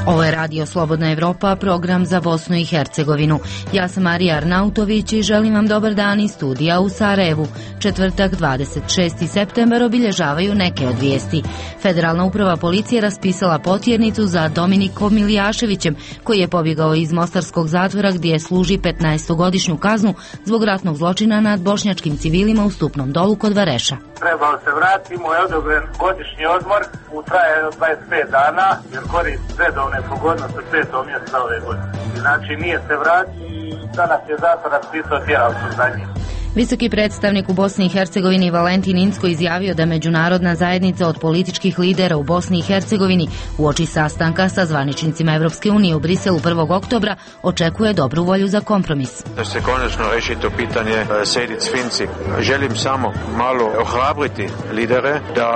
Ovo je Radio Slobodna Evropa, program za Bosnu i Hercegovinu. Ja sam Marija Arnautović i želim vam dobar dan iz studija u Sarajevu. Četvrtak, 26. septembar obilježavaju neke od vijesti. Federalna uprava policije raspisala potjernicu za Dominikom Milijaševićem, koji je pobjegao iz mostarskog zatvora gdje služi 15-godišnju kaznu zbog ratnog zločina nad bošnjačkim civilima u Stupnom Dolu kod Vareša. Trebao se vratiti, mu je odobren godišnji odmor u traje od 25 dana, jer koristi redovne pogodnosti u 5. mjesecu ove godine. Znači nije se vratio i danas je zatvor raspisao tjeralicu za njim. Visoki predstavnik u Bosni i Hercegovini Valentin Incko izjavio da međunarodna zajednica od političkih lidera u Bosni i Hercegovini uoči sastanka sa zvaničnicima Evropske unije u Briselu 1. oktobra očekuje dobru volju za kompromis. Da se konačno reši to pitanje Sejdić-Finci. Želim samo malo ohrabriti lidere da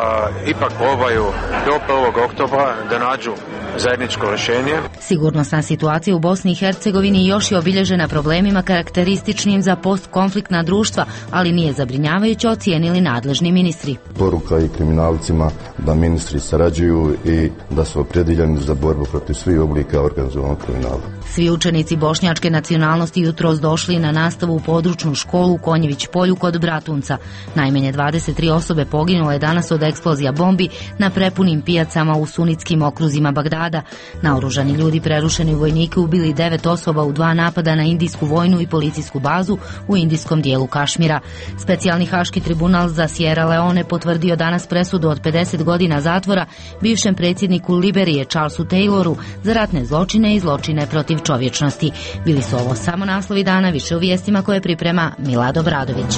ipak probaju do 1. oktobra da nađu zajedničko rješenje. Sigurnosna situacija u Bosni i Hercegovini još je obilježena problemima karakterističnim za postkonfliktna društva, ali nije zabrinjavajuće, ocijenili nadležni ministri. Poruka i kriminalcima da ministri sarađuju i da su opredjeljeni za borbu protiv svih oblika organizovanog kriminala. Svi učenici bošnjačke nacionalnosti jutros došli na nastavu u područnu školu u Konjević polju kod Bratunca. Najmanje 23 osobe poginule je danas od eksplozija bombi na prepunim pijacama u sunitskim okruzima Bagdada. Naoružani ljudi prerušeni u vojnike ubili 9 osoba u 2 napada na indijsku vojnu i policijsku bazu u indijskom dijelu Kašmira. Specijalni haški tribunal za Sierra Leone potvrdio danas presudu od 50 godina zatvora bivšem predsjedniku Liberije Charlesu Tayloru za ratne zločine i zločine protiv čovječnosti. Bili su ovo samo naslovi dana, više u vijestima koje priprema Milad Obradović.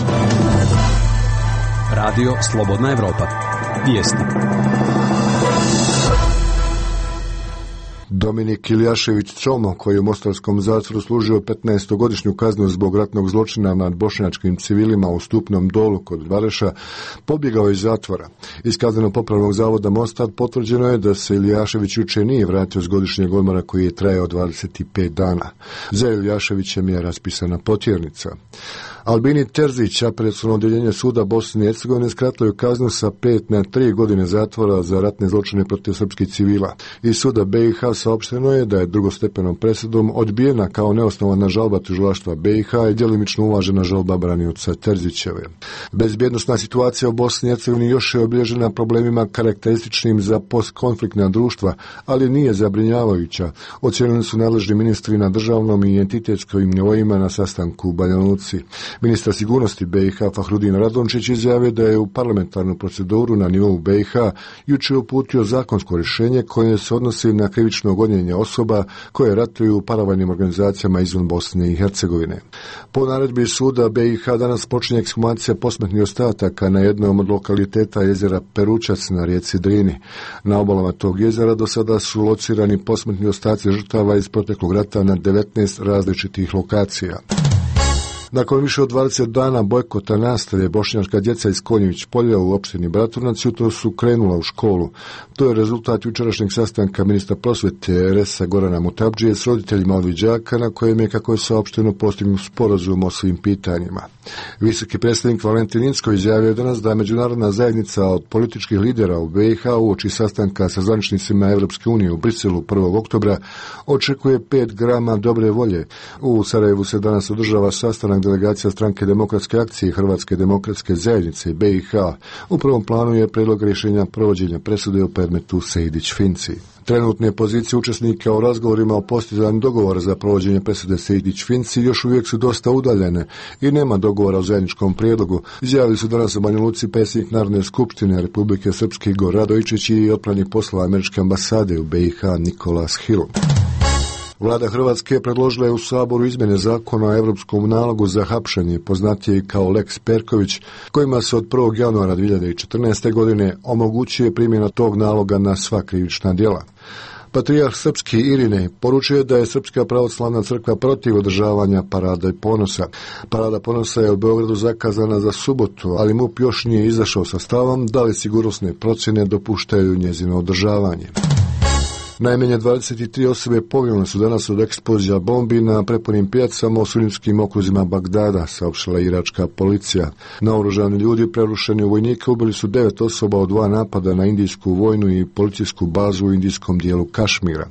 Radio Slobodna Evropa. Vijesti. Dominik Ilijašević Čomo, koji je u mostarskom zatvoru služio 15-godišnju kaznu zbog ratnog zločina nad bošnjačkim civilima u Stupnom Dolu kod Vareša, pobjegao iz zatvora. Iz kazneno-popravnog zavoda Mostar potvrđeno je da se Ilijašević jučer nije vratio s godišnjeg odmora koji je trajao 25 dana. Za Ilijaševićem je raspisana potjernica. Albini Terzić, apelaciono odjeljenje suda Bosne i Hercegovine, skratilo je kaznu sa 5 na 3 godine zatvora za ratne zločine protiv srpskih civila. Iz suda BiH saopšteno je da je drugostepenom presudom odbijena kao neosnovana žalba tužilaštva BiH i djelimično uvažena žalba branioca Terzićeve. Bezbjednosna situacija u Bosni i Hercegovini još je obilježena problemima karakterističnim za postkonfliktna društva, ali nije zabrinjavajuća, ocijenili su nadležni ministri na državnom i entitetskim nivoima na sastanku u Banja Luci. Ministar sigurnosti BiH Fahrudin Radončić izjavio da je u parlamentarnu proceduru na nivou BiH jučer uputio zakonsko rješenje koje se odnosi na krivično gonjenje osoba koje ratuju u paravojnim organizacijama izvan Bosne i Hercegovine. Po naredbi suda BiH danas počinje ekshumacija posmrtnih ostataka na jednom od lokaliteta jezera Peručac na rijeci Drini. Na obalama tog jezera do sada su locirani posmrtni ostaci žrtava iz proteklog rata na 19 različitih lokacija. Nakon više od 20 dana bojkota nastave, bošnjačka djeca iz Konjević polja u opštini Bratunac jutro su krenula u školu. To je rezultat jučerašnjeg sastanka ministra prosvete RS-a Gorana Mutabdžije s roditeljima ovih đaka, na kojem je, kako je saopšteno, postignut sporazum o svim pitanjima. Visoki predstavnik Valentin Incko izjavio danas da međunarodna zajednica od političkih lidera u BiH uoči sastanka sa zvaničnicima Evropske unije u Briselu 1. oktobra očekuje 5 grama dobre volje. U Sarajevu se danas održava sastanak delegacija Stranke demokratske akcije i Hrvatske demokratske zajednice BiH. U prvom planu je predlog rješenja provođenja presude u predmetu Sejdić-Finci. Trenutne pozicije učesnika u razgovorima o postizanju dogovora za provođenje presude Sejdić-Finci još uvijek su dosta udaljene i nema dogovora o zajedničkom prijedlogu. Izjavili su danas u Banja Luci predsjednik Narodne skupštine Republike Srpske Igor Radojičić i otpranih poslova američke ambasade u BiH Nikolas Hill. Vlada Hrvatske predložila je u Saboru izmjene zakona o europskom nalogu za hapšenje, poznatiji kao Lex Perković, kojima se od 1. januara 2014. godine omogućuje primjena tog naloga na sva krivična djela. Patrijarh srpski Irinej poručuje da je Srpska pravoslavna crkva protiv održavanja Parada ponosa. Parada ponosa je u Beogradu zakazana za subotu, ali MUP još nije izašao sa stavom da li sigurnosne procjene dopuštaju njezino održavanje. Najmanje 23 osobe poginule su danas od eksplozija bombi na prepunim pijacama u sunjskim okruzima Bagdada, saopštila iračka policija. Naoružani ljudi prerušeni u vojnike ubili su 9 osoba od 2 napada na indijsku vojnu i policijsku bazu u indijskom dijelu Kašmira.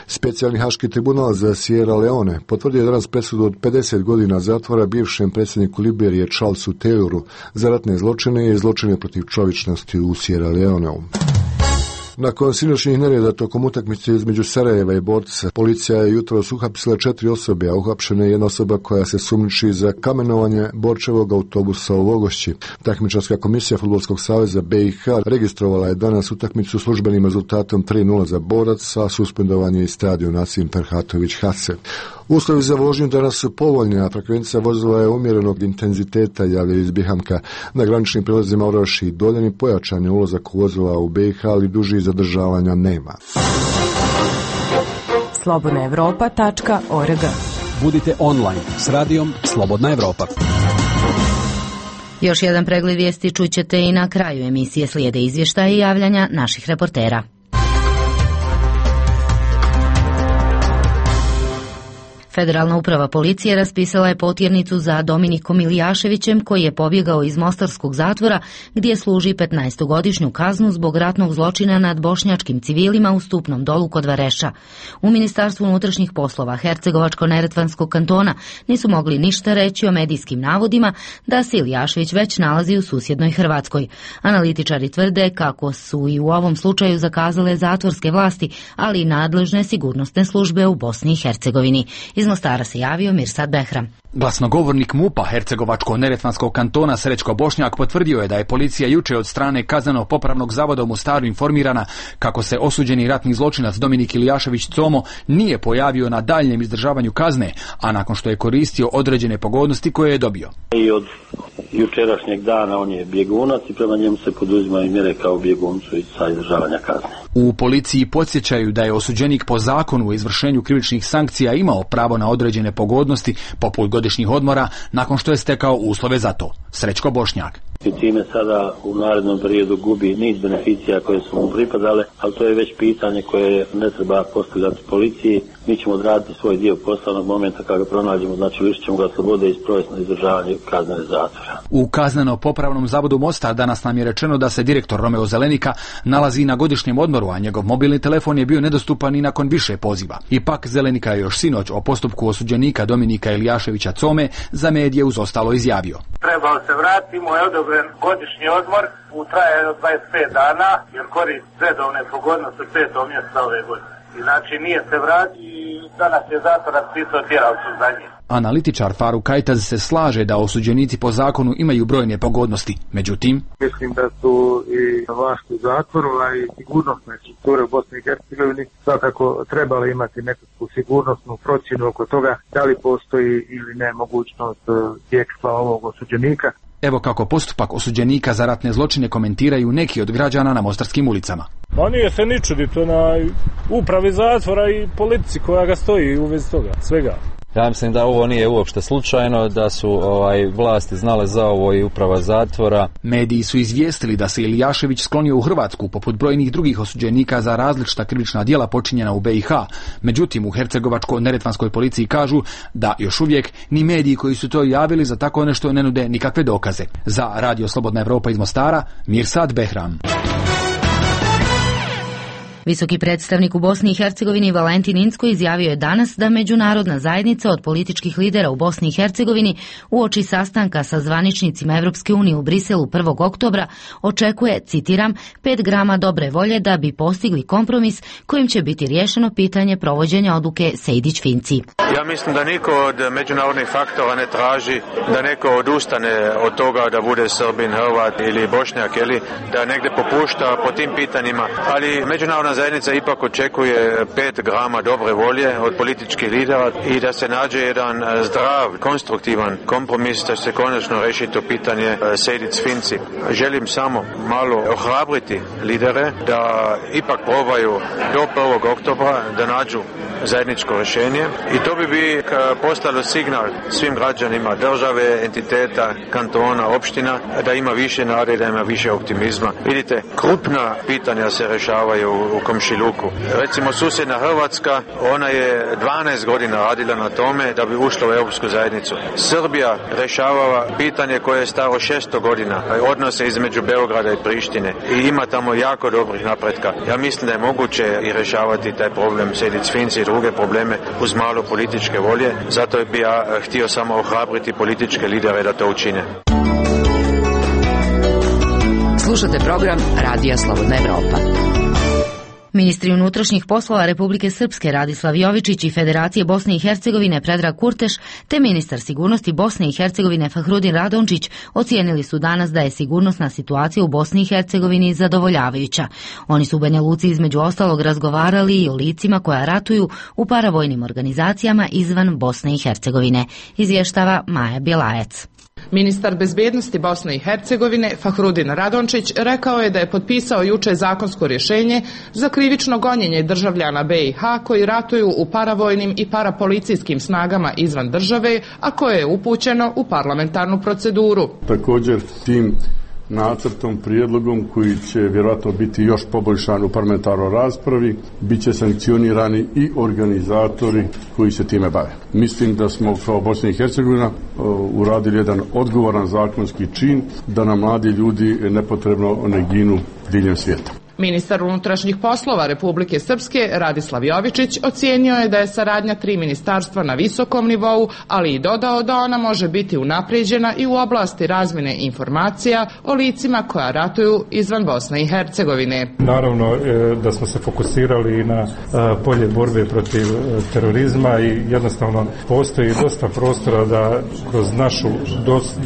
Specijalni haški tribunal za Sierra Leone potvrdio je danas presudu od 50 godina zatvora bivšem predsjedniku Liberije Charlesu Tayloru za ratne zločine i zločine protiv čovječnosti u Sierra Leoneu. Nakon sinoćnih nereda tokom utakmice između Sarajeva i Borca, policija je jutros uhapsila 4 osobe, a uhapšena je jedna osoba koja se sumnjiči za kamenovanje Borčevog autobusa u Vogošći. Takmičarska komisija Fudbalskog saveza BiH registrovala je danas utakmicu službenim rezultatom 3:0 za Borac, a suspendovan je i stadion Nasim Ferhatović Hase. Uslovi za vožnju danas su povoljni, a frekvencija vozila je umjerenog intenziteta, javlja iz Bihamka. Na graničnim prilazima Oraš i Doljani pojačan je ulazak vozila u BiH, ali duži zadržavanja nema. slobodnaevropa.org. Budite online s radijom Slobodna Evropa. Još jedan pregled vijesti čućete i na kraju emisije, slijede izvještaja i javljanja naših reportera. Federalna uprava policije raspisala je potjernicu za Dominikom Ilijaševićem, koji je pobjegao iz mostarskog zatvora gdje služi 15-godišnju kaznu zbog ratnog zločina nad bošnjačkim civilima u Stupnom Dolu kod Vareša. U Ministarstvu unutrašnjih poslova Hercegovačko-neretvanskog kantona nisu mogli ništa reći o medijskim navodima da se Ilijašević već nalazi u susjednoj Hrvatskoj. Analitičari tvrde kako su i u ovom slučaju zakazale zatvorske vlasti, ali i nadležne sigurnosne službe u Bosni i Hercegovini. Iz Mostara se javio Mirsad Behram. Glasnogovornik MUP-a Hercegovačko-neretvanskog kantona Srećko Bošnjak potvrdio je da je policija juče od strane Kazneno-popravnog zavoda u Mostaru informirana kako se osuđeni ratni zločinac Dominik Ilijašević Como nije pojavio na daljnjem izdržavanju kazne, a nakon što je koristio određene pogodnosti koje je dobio. I od jučerašnjeg dana on je bjegunac i prema njemu se poduzimaju mjere kao bjeguncu i sa izdržavanja kazne. U policiji podsjećaju da je osuđenik po zakonu o izvršenju krivičnih sankcija imao pravo na određene pogodnosti poput godišnjih odmora nakon što je stekao uslove za to. Srećko Bošnjak. I time sada u narednom periodu gubi niz beneficija koje su mu pripadale, ali to je već pitanje koje ne treba postavljati policiji. Mi ćemo odraditi svoj dio poslovnog momenta kada ga pronađemo, znači lišit ćemo ga slobode i sprovesti na izdržavanje kazne zatvora. U Kazneno-popravnom zavodu Mostar danas nam je rečeno da se direktor Romeo Zelenika nalazi na godišnjem odmoru, a njegov mobilni telefon je bio nedostupan i nakon više poziva. Ipak Zelenika je još sinoć o postupku osuđenika Dominika Ilijaševića Come za medije uz ostalo izjavio. Trebao se vratiti, mu je odobren godišnji odmor u trajanju od 25 dana, jer koristi redovne pogodnosti 5. mjeseca ove godine. I znači nije se vratiti i danas je zatvor raspisao tjeralicu za njih. Analitičar Faruk Kajtaz se slaže da osuđenici po zakonu imaju brojne pogodnosti. Međutim, mislim da su i vlast u zatvoru, a i sigurnosne strukture u Bosni i Hercegovini svakako trebali imati nekakvu sigurnosnu procjenu oko toga da li postoji ili ne mogućnost bjegstva ovog osuđenika. Evo kako postupak osuđenika za ratne zločine komentiraju neki od građana na mostarskim ulicama. Ma nije se ni čuditi na upravi zatvora i politici koja ga stoji u vezi toga, svega. Ja mislim da ovo nije uopšte slučajno, da su vlasti znale za ovo i uprava zatvora. Mediji su izvijestili da se Ilijašević sklonio u Hrvatsku poput brojnih drugih osuđenika za različita krivična djela počinjena u BiH. Međutim, u Hercegovačko-neretvanskoj policiji kažu da još uvijek ni mediji koji su to javili za tako nešto ne nude nikakve dokaze. Za Radio Slobodna Evropa iz Mostara, Mirsad Behram. Visoki predstavnik u Bosni i Hercegovini Valentin Incko izjavio je danas da međunarodna zajednica od političkih lidera u Bosni i Hercegovini uoči sastanka sa zvaničnicima Evropske unije u Briselu 1. oktobra očekuje, citiram, 5 grama dobre volje da bi postigli kompromis kojim će biti riješeno pitanje provođenja odluke Sejdić-Finci. Ja mislim da niko od međunarodnih faktora ne traži da neko odustane od toga da bude Srbin, Hrvat ili Bošnjak ili da negdje popušta po tim pitanjima, ali međunarodna zajednica ipak očekuje 5 grama dobre volje od političkih lidera i da se nađe jedan zdrav, konstruktivan kompromis da se konačno reši to pitanje Sejdić-Finci. Želim samo malo ohrabriti lidere da ipak probaju do 1. oktobra da nađu zajedničko rješenje i to bi postalo signal svim građanima države, entiteta, kantona, opština da ima više nade, da ima više optimizma. Vidite, krupna pitanja se rješavaju u komšiluku. Recimo susjedna Hrvatska, ona je 12 godina radila na tome da bi ušla u Europsku zajednicu. Srbija rješavala pitanje koje je staro 600 godina, odnose između Beograda i Prištine i ima tamo jako dobrih napretka. Ja mislim da je moguće i rješavati taj problem Sejdić Finci i druge probleme uz malo političke volje, zato bi ja htio samo ohrabriti političke lidere da to učine. Slušate program Radija Slobodna Evropa. Ministri unutrašnjih poslova Republike Srpske Radislav Jovičić i Federacije Bosne i Hercegovine Predrag Kurteš te ministar sigurnosti Bosne i Hercegovine Fahrudin Radončić ocijenili su danas da je sigurnosna situacija u Bosni i Hercegovini zadovoljavajuća. Oni su u Banja Luci između ostalog razgovarali i o licima koja ratuju u paravojnim organizacijama izvan Bosne i Hercegovine, izvještava Maja Bjelajac. Ministar bezbednosti Bosne i Hercegovine Fahrudin Radončić rekao je da je potpisao juče zakonsko rješenje za krivično gonjenje državljana BiH koji ratuju u paravojnim i parapolicijskim snagama izvan države, a koje je upućeno u parlamentarnu proceduru. Također tim nacrtom, prijedlogom koji će vjerojatno biti još poboljšan u parlamentarnoj raspravi, bit će sankcionirani i organizatori koji se time bave. Mislim da smo kao Bosna i Hercegovina uradili jedan odgovoran zakonski čin da nam mladi ljudi nepotrebno ne ginu diljem svijeta. Ministar unutrašnjih poslova Republike Srpske Radislav Jovičić ocijenio je da je saradnja 3 ministarstva na visokom nivou, ali i dodao da ona može biti unaprijeđena i u oblasti razmjene informacija o licima koja ratuju izvan Bosne i Hercegovine. Naravno da smo se fokusirali na polje borbe protiv terorizma i jednostavno postoji dosta prostora da kroz našu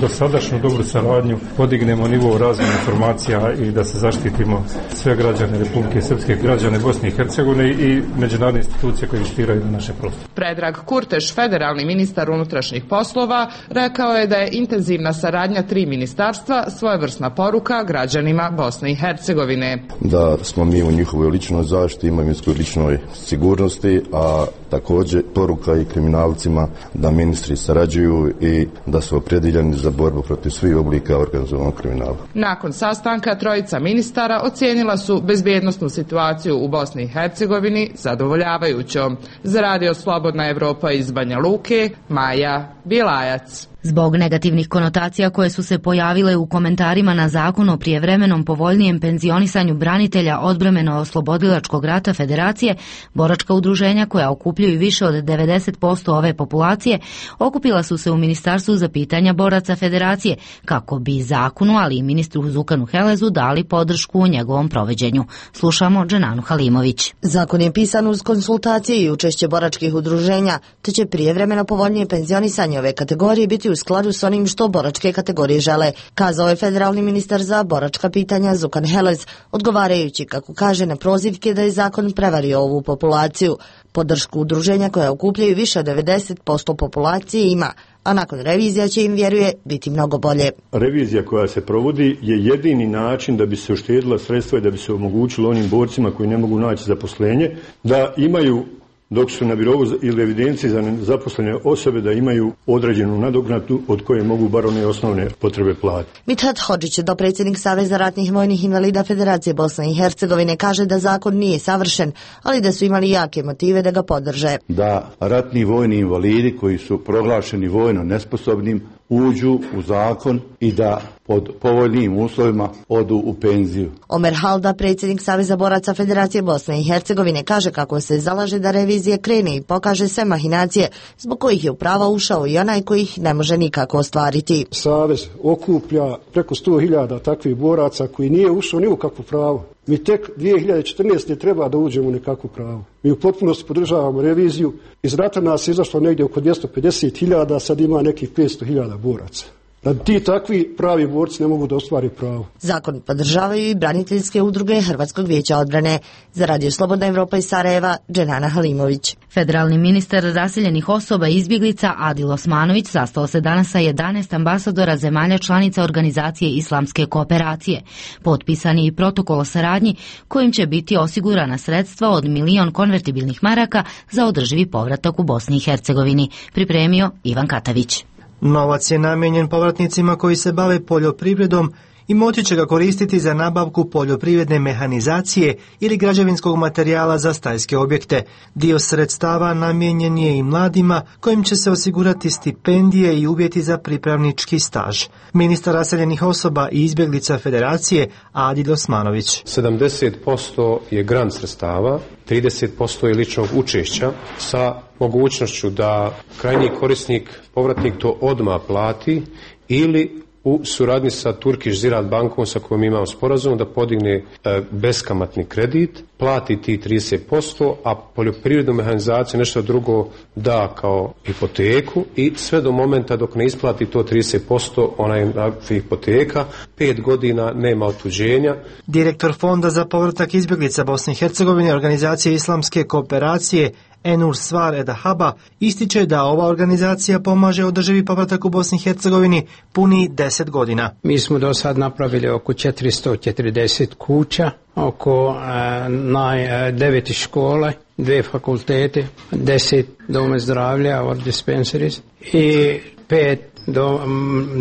dosadašnju dobru saradnju podignemo nivo razmjene informacija i da se zaštitimo sve građane Republike Srpske, građane Bosne i Hercegovine i međunarodne institucije koje investiraju na naše prostore. Predrag Kurteš, federalni ministar unutrašnjih poslova, rekao je da je intenzivna saradnja 3 ministarstva svojevrsna poruka građanima Bosne i Hercegovine. Da smo mi u njihovoj ličnoj zaštiti, imovinskoj ličnoj sigurnosti, a također poruka i kriminalcima da ministri sarađuju i da su opredjeljeni za borbu protiv svih oblika organizovanog kriminala. Nakon sastanka trojica ministara ocijenila su bezbjednosnu situaciju u Bosni i Hercegovini zadovoljavajućom. Za Radio Slobodna Evropa iz Banja Luke, Maja Bjelajac. Zbog negativnih konotacija koje su se pojavile u komentarima na zakon o prijevremenom povoljnijem penzionisanju branitelja odbrambeno-oslobodilačkog rata Federacije, boračka udruženja koja okupljaju više od 90% ove populacije, okupila su se u Ministarstvu za pitanja boraca Federacije kako bi zakonu, ali i ministru Zukanu Helezu dali podršku u njegovom provođenju. Slušamo Dženanu Halimović. Zakon je pisan uz konsultacije i učešće boračkih udruženja, te će prijevremeno povoljnije penzionisanje ove kategorije biti u skladu s onim što boračke kategorije žele, kazao je federalni ministar za boračka pitanja Zukan Helez, odgovarajući, kako kaže, na prozivke da je zakon prevario ovu populaciju. Podršku udruženja koja okupljaju više od 90% populacije ima, a nakon revizija će im, vjeruje, biti mnogo bolje. Revizija koja se provodi je jedini način da bi se uštedila sredstva i da bi se omogućilo onim borcima koji ne mogu naći zaposlenje, da imaju, dok su na birovu ili evidenciji za zaposlene osobe, da imaju određenu nadoknadu od koje mogu bar one osnovne potrebe platiti. Mithat Hodžić, dopredsjednik Saveza ratnih vojnih invalida Federacije Bosne i Hercegovine, kaže da zakon nije savršen, ali da su imali jake motive da ga podrže. Da ratni vojni invalidi koji su proglašeni vojno nesposobnim uđu u zakon i da pod povoljnim uslovima odu u penziju. Omer Halda, predsjednik Saveza boraca Federacije Bosne i Hercegovine, kaže kako se zalaže da revizija krene i pokaže sve mahinacije zbog kojih je u prava ušao i onaj koji ih ne može nikako ostvariti. Savez okuplja preko 100.000 takvih boraca koji nije ušao ni u kakvo pravo. Mi tek 2014. treba da uđemo u nekakvo pravo. Mi u potpunosti podržavamo reviziju. Iz rata nas je izašlo negdje oko 250.000, sad ima nekih 500.000 boraca. Da ti takvi pravi borci ne mogu da ostvari pravo. Zakon podržavaju i braniteljske udruge Hrvatskog vijeća odbrane. Za Radio Slobodna Evropa iz Sarajeva, Dženana Halimović. Federalni ministar raseljenih osoba i izbjeglica Adil Osmanović sastao se danas sa 11 ambasadora zemalja članica Organizacije islamske kooperacije. Potpisan je i protokol o saradnji kojim će biti osigurana sredstva od 1 milion konvertibilnih maraka za održivi povratak u Bosni i Hercegovini. Pripremio Ivan Katavić. Novac je namijenjen povratnicima koji se bave poljoprivredom i moći će ga koristiti za nabavku poljoprivredne mehanizacije ili građevinskog materijala za stajske objekte. Dio sredstava namijenjen je i mladima kojim će se osigurati stipendije i uvjeti za pripravnički staž. Ministar raseljenih osoba i izbjeglica Federacije Adil Osmanović. 70% je grant sredstava, 30% je ličnog učešća sa mogućnošću da krajnji korisnik, povratnik to odmah plati ili u suradnji sa Turkish Ziraat bankom sa kojom imamo sporazum da podigne beskamatni kredit, plati ti 30%, a poljoprivrednu mehanizaciju nešto drugo da kao hipoteku i sve do momenta dok ne isplati to 30%, ona je hipoteka, 5 godina nema otuđenja. Direktor Fonda za povratak izbjeglica Bosne i Hercegovine, organizacije Islamske kooperacije Enur Svar Edahaba, ističe da ova organizacija pomaže održivi povratak u Bosni i Hercegovini puni 10 godina. Mi smo do sad napravili oko 440 kuća, oko 9 škole, 2 fakultete, 10 doma zdravlja or dispensaries i 5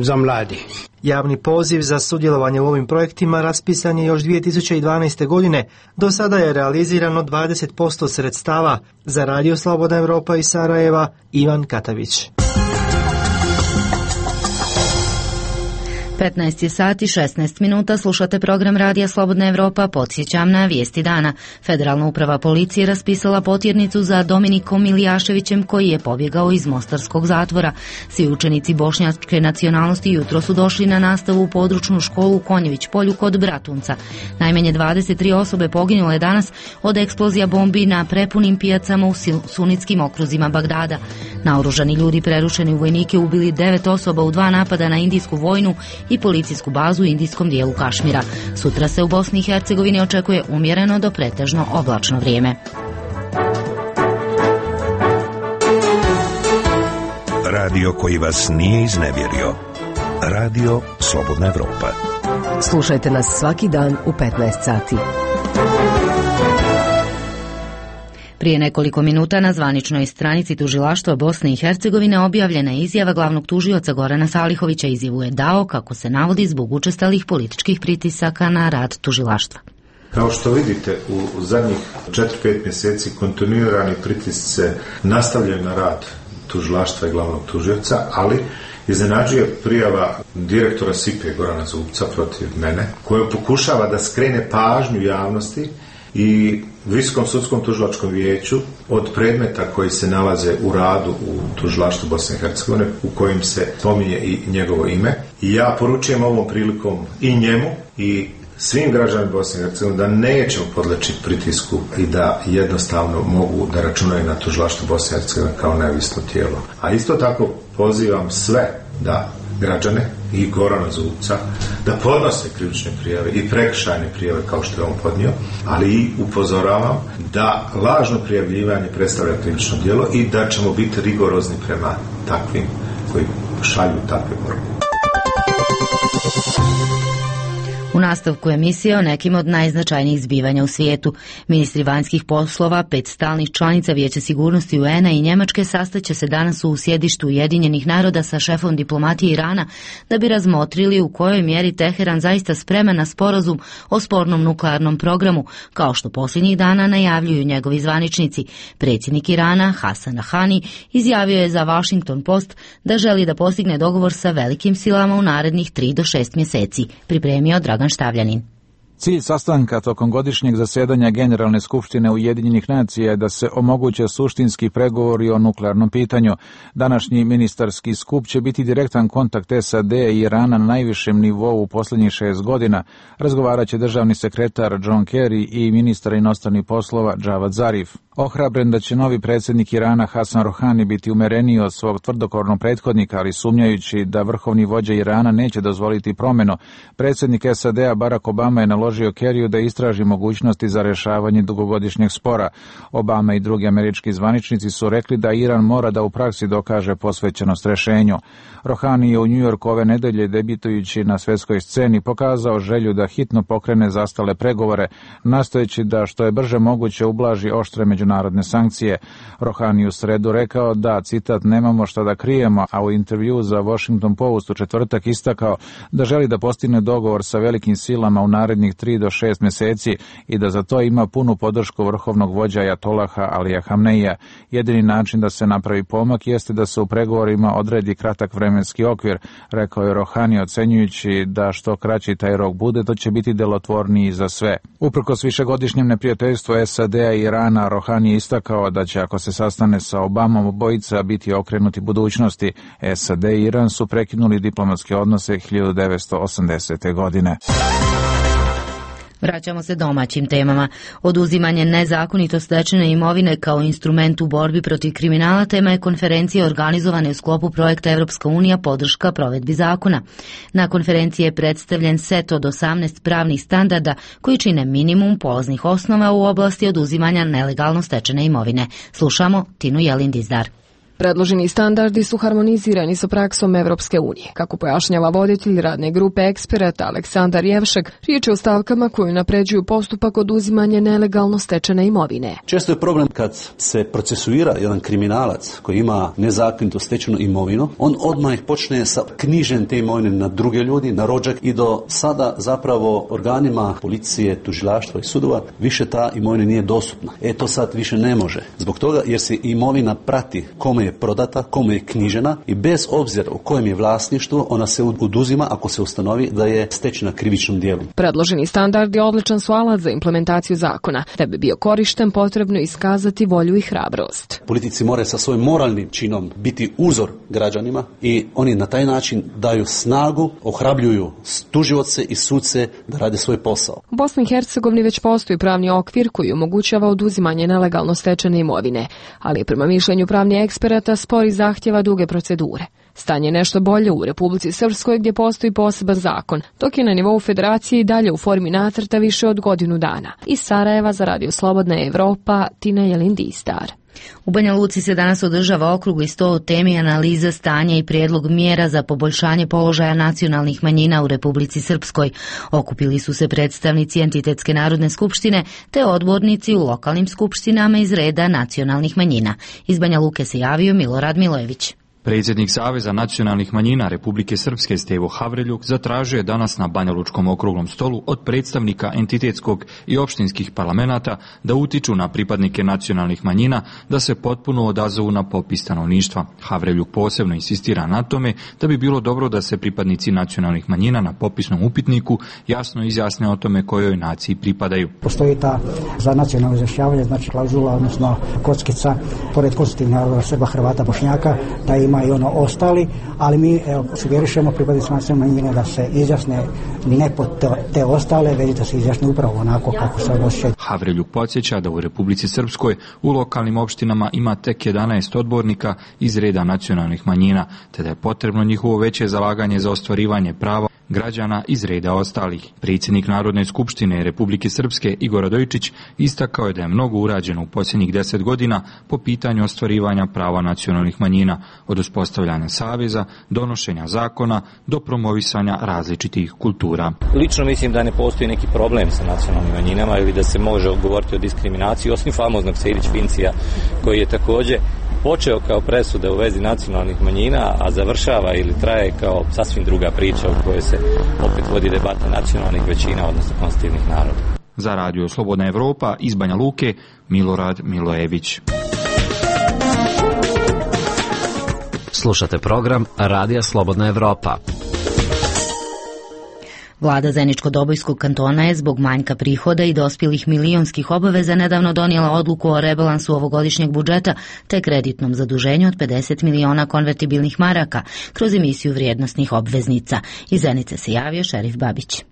za mladi. Javni poziv za sudjelovanje u ovim projektima raspisan je još 2012. godine. Do sada je realizirano 20% sredstava. Za Radio Slobodna Evropa iz Sarajeva, Ivan Katavić. 15 sati 16 minuta, slušate program Radija Slobodna Evropa. Podsjećam na vijesti dana. Federalna uprava policije raspisala potjernicu za Dominikom Milijaševićem koji je pobjegao iz mostarskog zatvora. Svi učenici bošnjačke nacionalnosti jutro su došli na nastavu u područnu školu u Konjević polju kod Bratunca. Najmanje 23 osobe poginulo je danas od eksplozija bombi na prepunim pijacama u sunitskim okruzima Bagdada. Naoružani ljudi prerušeni u vojnike ubili 9 osoba u 2 napada na indijsku vojnu i policijsku bazu u indijskom dijelu Kašmira. Sutra se u Bosni i Hercegovini očekuje umjereno do pretežno oblačno vrijeme. Radio koji vas nije iznevjerio. Radio Slobodna Evropa. Slušajte nas svaki dan u 15 sati. Prije nekoliko minuta na zvaničnoj stranici Tužilaštva Bosne i Hercegovine objavljena je izjava glavnog tužioca Gorana Salihovića. Izjavu je dao, kako se navodi, zbog učestalih političkih pritisaka na rad tužilaštva. Kao što vidite, u zadnjih 4-5 mjeseci kontinuirani pritisci se nastavljaju na rad tužilaštva i glavnog tužioca, ali iznenađuje prijava direktora SIP-e Gorana Zubca protiv mene, koja pokušava da skrene pažnju javnosti i Visokom sudskom tužilačkom vijeću od predmeta koji se nalaze u radu u tužilaštvu Bosne i Hercegovine, u kojim se spominje i njegovo ime. I ja poručujem ovom prilikom i njemu i svim građanima Bosne i Hercegovine da nećemo podleći pritisku i da jednostavno mogu da računaju na tužilaštvo Bosne i Hercegovine kao neovisno tijelo. A isto tako pozivam sve da građane i Gorana Zubca da podnose krivične prijave i prekršajne prijave kao što je on podnio, ali i upozoravam da lažno prijavljivanje predstavlja krivično djelo i da ćemo biti rigorozni prema takvim koji šalju takve poruke. U nastavku emisije o nekim od najznačajnijih zbivanja u svijetu. Ministri vanjskih poslova 5 stalnih članica Vijeća sigurnosti UN-a i Njemačke sastaće se danas u sjedištu Ujedinjenih naroda sa šefom diplomatije Irana da bi razmotrili u kojoj mjeri Teheran zaista spreman na sporazum o spornom nuklearnom programu, kao što posljednjih dana najavljuju njegovi zvaničnici. Predsjednik Irana, Hasan Rohani, izjavio je za Washington Post da želi da postigne dogovor sa velikim silama u narednih 3 do 6 mjeseci. Pripremio Dragan Štavljanin. Cilj sastanka tokom godišnjeg zasjedanja Generalne skupštine Ujedinjenih nacija je da se omoguće suštinski pregovori o nuklearnom pitanju. Današnji ministarski skup će biti direktan kontakt SAD i Irana na najvišem nivou u posljednjih 6 godina. Razgovarat će državni sekretar John Kerry i ministar inostranih poslova Javad Zarif. Ohrabren da će novi predsjednik Irana Hasan Rohani biti umereniji od svog tvrdokornog prethodnika, ali sumnjajući da vrhovni vođa Irana neće dozvoliti promjenu, predsjednik SAD-a Barack Obama je naložio Kerryu da istraži mogućnosti za rješavanje dugogodišnjeg spora. Obama i drugi američki zvaničnici su rekli da Iran mora da u praksi dokaže posvećenost rješenju. Rohani je u New Yorku ove nedelje, debitujući na svjetskoj sceni, pokazao želju da hitno pokrene zastale pregovore, nastojeći da što je brže moguće ublaži oštre međunarodne međunarodne sankcije. Rohani u sredu rekao da, citat, nemamo šta da krijemo, a u intervju za Washington Post u četvrtak istakao da želi da postigne dogovor sa velikim silama u narednih 3 do 6 mjeseci i da za to ima punu podršku vrhovnog vođa Ajatolaha Alija Hamneija. Jedini način da se napravi pomak jeste da se u pregovorima odredi kratak vremenski okvir, rekao je Rohani, ocenjujući da što kraći taj rok bude, to će biti delotvorniji za sve. Uprkos višegodišnjem neprijateljstvu SAD-a i Irana, Rohani je istakao da će, ako se sastane sa Obamom, obojica biti okrenuti budućnosti. SAD i Iran su prekinuli diplomatske odnose 1980. godine. Vraćamo se domaćim temama. Oduzimanje nezakonito stečene imovine kao instrument u borbi protiv kriminala tema je konferencije organizovane u sklopu projekta Evropska unija podrška provedbi zakona. Na konferenciji je predstavljen set od 18 pravnih standarda koji čine minimum polaznih osnova u oblasti oduzimanja nelegalno stečene imovine. Slušamo Tinu Jelin-Dizdar. Predloženi standardi su harmonizirani sa praksom Evropske unije. Kako pojašnjava voditelj radne grupe eksperata Aleksandar Jevšek, riječ je o stavkama koji napređuju postupak oduzimanja nelegalno stečene imovine. Često je problem kad se procesuira jedan kriminalac koji ima nezakonito stečenu imovinu, on odmah počne sa knjiženjem te imovine na druge ljudi, na rođak, i do sada zapravo organima policije, tužilaštva i sudova više ta imovina nije dostupna. To sad više ne može. Zbog toga jer se imovina prati kome je prodata, kome je knjižena i bez obzira u kojem je vlasništvu ona se oduzima ako se ustanovi da je stečena krivičnom djelu. Predloženi standard je odličan su alat za implementaciju zakona. Da bi bio korišten, potrebno iskazati volju i hrabrost. Politici moraju sa svojim moralnim činom biti uzor građanima i oni na taj način daju snagu, ohrabljuju tužioce i suce da rade svoj posao. U Bosni i Hercegovini već postoji pravni okvir koji omogućava oduzimanje nelegalno stečene imovine, ali prema mišljenju pravnih eksperata spori zahtjeva duge procedure. Stanje je nešto bolje u Republici Srpskoj gdje postoji poseban zakon, dok je na nivou federacije i dalje u formi nacrta više od godinu dana. Iz Sarajeva za Radio Slobodna Evropa, Tina Jelin-Dizdar. U Banja Luci se danas održava okrugli sto o temi analiza stanja i prijedlog mjera za poboljšanje položaja nacionalnih manjina u Republici Srpskoj. Okupili su se predstavnici Entitetske narodne skupštine te odbornici u lokalnim skupštinama iz reda nacionalnih manjina. Iz Banja Luke se javio Milorad Milojević. Predsjednik Saveza nacionalnih manjina Republike Srpske Stevo Havreljuk zatražio je danas na Banjalučkom okruglom stolu od predstavnika entitetskog i opštinskih parlamenata da utiču na pripadnike nacionalnih manjina da se potpuno odazovu na popis stanovništva. Havreljuk posebno insistira na tome da bi bilo dobro da se pripadnici nacionalnih manjina na popisnom upitniku jasno izjasne o tome kojoj naciji pripadaju. Postoji ta za nacionalno izjašnjavanje, znači klauzula, odnosno kockica, pored konstitutivnih naroda Srba, Hrvata, Bošnjaka, da ima i ono ostali, ali mi sugerišemo pripadnicima nacionalne manjine da se izjasne ne pod te ostale, već da se izjasne upravo onako kako se odnosi. Havreljuk podsjeća da u Republici Srpskoj u lokalnim opštinama ima tek 11 odbornika iz reda nacionalnih manjina, te da je potrebno njihovo veće zalaganje za ostvarivanje prava građana iz reda ostalih. Predsjednik Narodne skupštine Republike Srpske Igor Radojčić istakao je da je mnogo urađeno u posljednjih 10 godina po pitanju ostvarivanja prava nacionalnih manjina, od uspostavljanja saveza, donošenja zakona do promovisanja različitih kultura. Lično mislim da ne postoji neki problem sa nacionalnim manjinama ili da se može govoriti o diskriminaciji, osim famoznog Sejdić-Fincija koji je također počeo kao presuda u vezi nacionalnih manjina, a završava ili traje kao sasvim druga priča u kojoj se opet vodi debata nacionalnih većina, odnosno konstitutivnih naroda. Za Radio Slobodna Evropa iz Banja Luke, Milorad Milojević. Slušate program Radija Slobodna Evropa. Vlada Zeničko-Dobojskog kantona je zbog manjka prihoda i dospjelih milionskih obaveza nedavno donijela odluku o rebalansu ovogodišnjeg budžeta te kreditnom zaduženju od 50 miliona konvertibilnih maraka kroz emisiju vrijednosnih obveznica. Iz Zenice se javio Šerif Babić.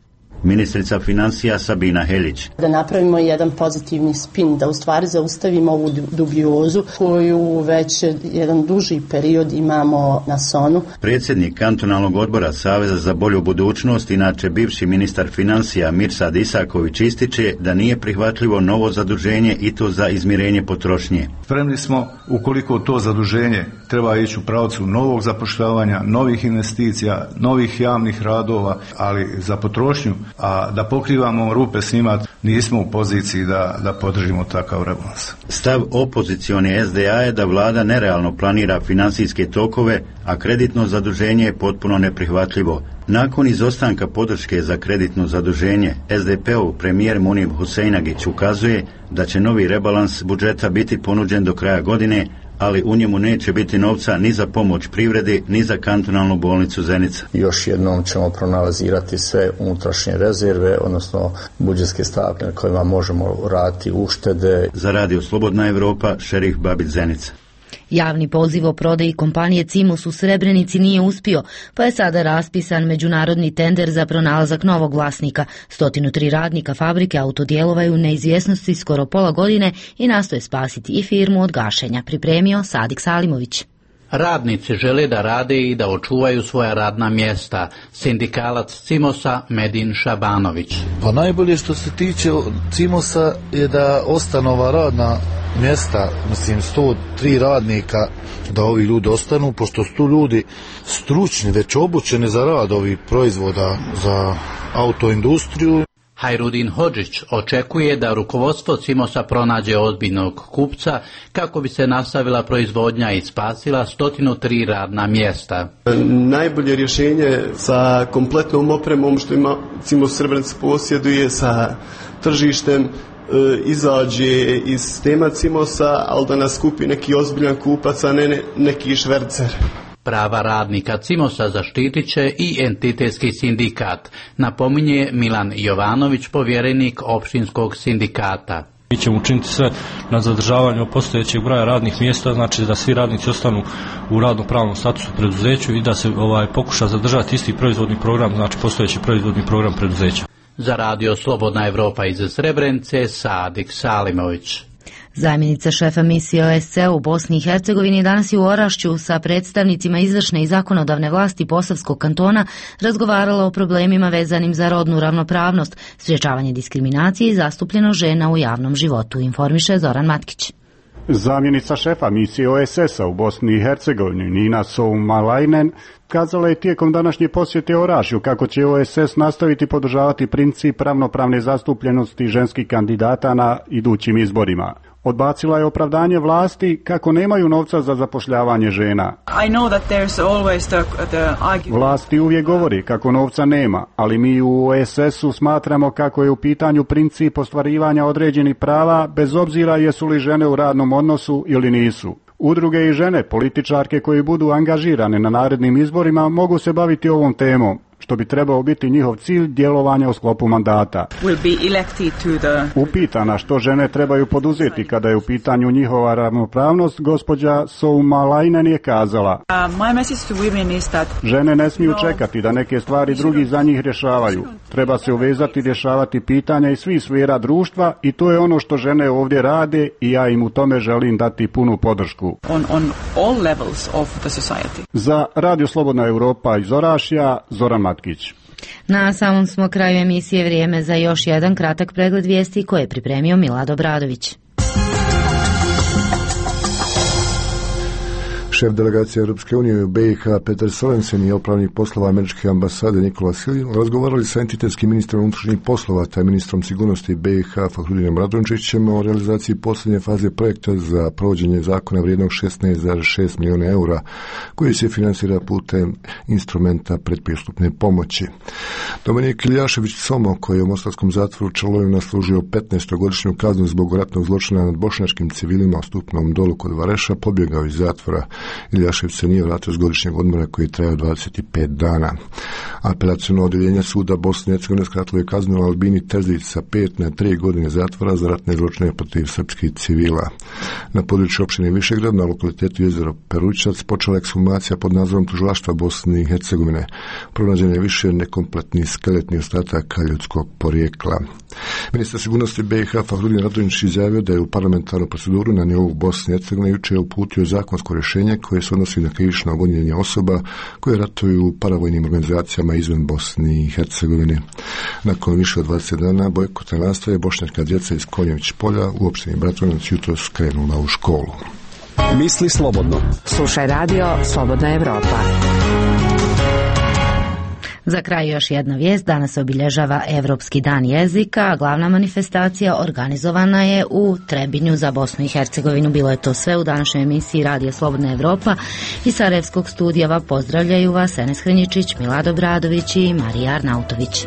Ministrica financija Sabina Helić. Da napravimo jedan pozitivni spin, da u stvari zaustavimo ovu dubiozu koju već jedan duži period imamo na sonu. Predsjednik kantonalnog odbora Saveza za bolju budućnost, inače bivši ministar financija Mirsad Isaković, ističe da nije prihvatljivo novo zaduženje i to za izmirenje potrošnje. Spremni smo, ukoliko to zaduženje treba ići u pravcu novog zapošljavanja, novih investicija, novih javnih radova, ali za potrošnju a da pokrivamo rupe s njima nismo u poziciji da podržimo takav rebalans. Stav opozicione SDA je da vlada nerealno planira financijske tokove, a kreditno zaduženje je potpuno neprihvatljivo. Nakon izostanka podrške za kreditno zaduženje, SDP-ov premijer Munib Huseinagić ukazuje da će novi rebalans budžeta biti ponuđen do kraja godine, ali u njemu neće biti novca ni za pomoć privredi, ni za kantonalnu bolnicu Zenica. Još jednom ćemo proanalizirati sve unutrašnje rezerve, odnosno budžetske stavke na kojima možemo raditi uštede. Za Radio Slobodna Evropa, Šerif Babić, Zenica. Javni poziv o prodaji kompanije Cimos u Srebrenici nije uspio, pa je sada raspisan međunarodni tender za pronalazak novog vlasnika. 103 radnika fabrike autodijelova je u neizvjesnosti skoro pola godine i nastoje spasiti i firmu od gašenja, pripremio Sadik Salimović. Radnici žele da rade i da očuvaju svoja radna mjesta. Sindikalac Cimosa Medin Šabanović. Pa najbolje što se tiče Cimosa je da ostanu ova radna mjesta, 103 radnika, da ovi ljudi ostanu, pošto su tu ljudi stručni, već obučeni za rad ovih proizvoda za autoindustriju. Hajrudin Hodžić očekuje da rukovodstvo Cimosa pronađe ozbiljnog kupca kako bi se nastavila proizvodnja i spasila 103 radna mjesta. Najbolje rješenje sa kompletnom opremom što ima Cimos Srebrenica posjeduje, sa tržištem, izađe iz sistema Cimosa, ali da nas kupi neki ozbiljan kupac, a ne neki švercer. Prava radnika Cimosa zaštitit će i entitetski sindikat, napominje Milan Jovanović, povjerenik opštinskog sindikata. Mi ćemo učiniti sve na zadržavanju postojećeg broja radnih mjesta, znači da svi radnici ostanu u radno-pravnom statusu preduzeću i da se pokuša zadržati isti proizvodni program, znači postojeći proizvodni program preduzeća. Za Radio Slobodna Evropa iz Srebrenice, Sadik Salimović. Zamjenica šefa misije OSCE u Bosni i Hercegovini danas je u Orašću sa predstavnicima izvršne i zakonodavne vlasti Posavskog kantona razgovarala o problemima vezanim za rodnu ravnopravnost, sprječavanje diskriminacije i zastupljenost žena u javnom životu, informiše Zoran Matkić. Zamjenica šefa misije OSS-a u Bosni i Hercegovini Nina Soumalajnen kazala je tijekom današnje posjete Orašju kako će OSS nastaviti podržavati princip ravnopravne zastupljenosti ženskih kandidata na idućim izborima. Odbacila je opravdanje vlasti kako nemaju novca za zapošljavanje žena. Vlasti uvijek govori kako novca nema, ali mi u OSS-u smatramo kako je u pitanju princip ostvarivanja određenih prava bez obzira jesu li žene u radnom odnosu ili nisu. Udruge i žene, političarke koji budu angažirane na narednim izborima mogu se baviti ovom temom, što bi trebao biti njihov cilj djelovanja u sklopu mandata. Upitana što žene trebaju poduzeti kada je u pitanju njihova ravnopravnost, gospođa Soumalajnen je kazala: žene ne smiju čekati da neke stvari drugi za njih rješavaju. Treba se uvezati rješavati pitanja iz svih sfera društva i to je ono što žene ovdje rade i ja im u tome želim dati punu podršku. Za Radio Slobodna Evropa iz Orašja, Zoran Matkić. Na samom smo kraju emisije, vrijeme za još jedan kratak pregled vijesti koje je pripremio Milad Obradović. Šef delegacije Europske unije u BiH Petar Sorensen i opravnik poslova američke ambasade Nikola Silin razgovarali sa entitetskim ministrom unutrašnjih poslova te ministrom sigurnosti BiH Fahrudinom Radončićem o realizaciji posljednje faze projekta za provođenje zakona vrijednog 16,6 milijuna eura koji se financira putem instrumenta predpristupne pomoći. Dominik Iljašević Somo, koji je u mostarskom zatvoru Čelovina služio 15-godišnju kaznu zbog ratnog zločina nad bošnjačkim civilima u Stupnom Dolu kod Vareša, pobjegao iz zatvora. Iljašević se nije vratio s godišnjeg odmora koji je trajao 25 dana. Apelaciono odjeljenje suda Bosne i Hercegovine skratilo je kaznu Albini Terzić sa 5 na 3 godine zatvora za ratne zločine protiv srpskih civila. Na području opštine Višegrad na lokalitetu jezero Perućac počela ekshumacija pod nadzorom tužilaštva Bosne i Hercegovine. Pronađen je više nekompletnih skeletnih ostataka ljudskog porijekla. Ministar sigurnosti BiH Fahrudin Radonjić izjavio da je u parlamentarnu proceduru na nivou Bosne i Hercegovine jučer uputio zakonsko rješenje koje se odnosi na krivično gonjenje osoba koje ratuju u paravojnim organizacijama izvan Bosne i Hercegovine. Nakon više od 20 dana bojkotne nastave bošnjačka djeca iz Konjević polja u opštini Bratunac jutros krenula u školu. Misli slobodno. Slušaj Radio Slobodna Evropa. Za kraj još jedna vijest. Danas se obilježava Evropski dan jezika, a glavna manifestacija organizovana je u Trebinju za Bosnu i Hercegovinu. Bilo je to sve u današnjoj emisiji Radija Slobodna Evropa. Iz Sarajevskog studija pozdravljaju vas Enes Hrinjičić, Milad Obradović i Marija Arnautović.